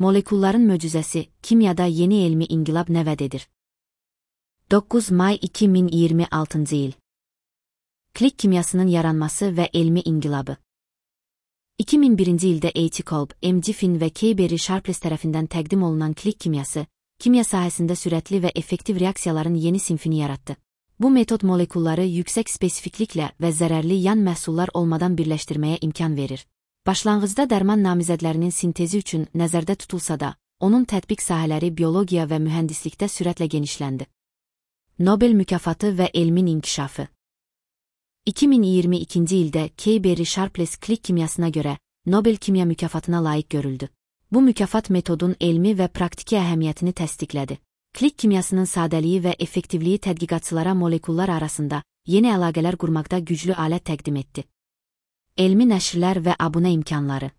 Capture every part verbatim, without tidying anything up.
Molekulların möcüzəsi, kimyada yeni elmi inqilab nə vəd edir? doqquz may iki min iyirmi altıncı il. Klik kimyasının yaranması və elmi inqilabı. iki min birinci ildə A T Kolb, M Giffin və K Berry Sharpless tərəfindən təqdim olunan klik kimyası, kimya sahəsində sürətli və effektiv reaksiyaların yeni sinfini yaratdı. Bu metod molekulları yüksək spesifikliklə və zərərli yan məhsullar olmadan birləşdirməyə imkan verir. Başlanğıcda dərman namizədlərinin sintezi üçün nəzərdə tutulsa da, onun tətbiq sahələri biologiya və mühəndislikdə sürətlə genişləndi. Nobel mükafatı və elmin inkişafı. iki min iyirmi ikinci ildə K Berry Sharpless klik kimyasına görə Nobel kimya mükafatına layiq görüldü. Bu mükafat metodun elmi və praktiki əhəmiyyətini təsdiqlədi. Klik kimyasının sadəliyi və effektivliyi tədqiqatçılara molekullar arasında yeni əlaqələr qurmaqda güclü alət təqdim etdi. Elmi nəşrlər və abunə imkanları.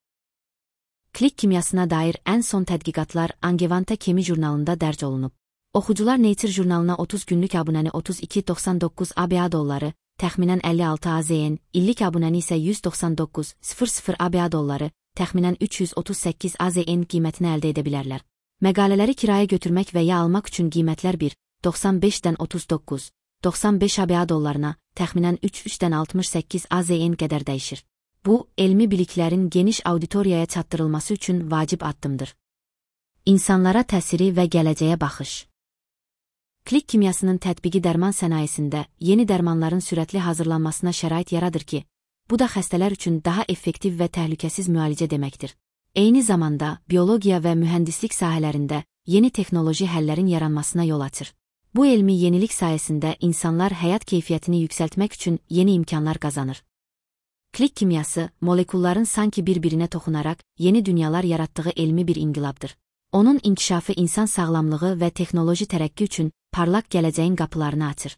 Klik kimyasına dair ən son tədqiqatlar Angewandte Chemie jurnalında dərc olunub. Oxucular Nature jurnalına otuz günlük abunəni otuz iki doxsan doqquz A B A dolları, təxminən əlli altı A Z N, illik abunəni isə yüz doxsan doqquz min A B A dolları, təxminən üç yüz otuz səkkiz A Z N qiymətini əldə edə bilərlər. Məqalələri kirayə götürmək və ya almaq üçün qiymətlər bir doxsan beşdən otuz doqquz doxsan beş A B A dollarına, təxminən üç üçdən altmış səkkiz A Z N qədər dəyişir. Bu, elmi biliklərin geniş auditoriyaya çatdırılması üçün vacib addımdır. İnsanlara təsiri və gələcəyə baxış. Klik kimyasının tətbiqi dərman sənayesində yeni dərmanların sürətli hazırlanmasına şərait yaradır ki, bu da xəstələr üçün daha effektiv və təhlükəsiz müalicə deməkdir. Eyni zamanda, biologiya və mühəndislik sahələrində yeni texnoloji həllərin yaranmasına yol açır. Bu elmi yenilik sayəsində insanlar həyat keyfiyyətini yüksəltmək üçün yeni imkanlar qazanır. Klik kimyası, molekulların sanki bir-birinə toxunaraq yeni dünyalar yaratdığı elmi bir inqilabdır. Onun inkişafı insan sağlamlığı və texnoloji tərəqqi üçün parlaq gələcəyin qapılarını açır.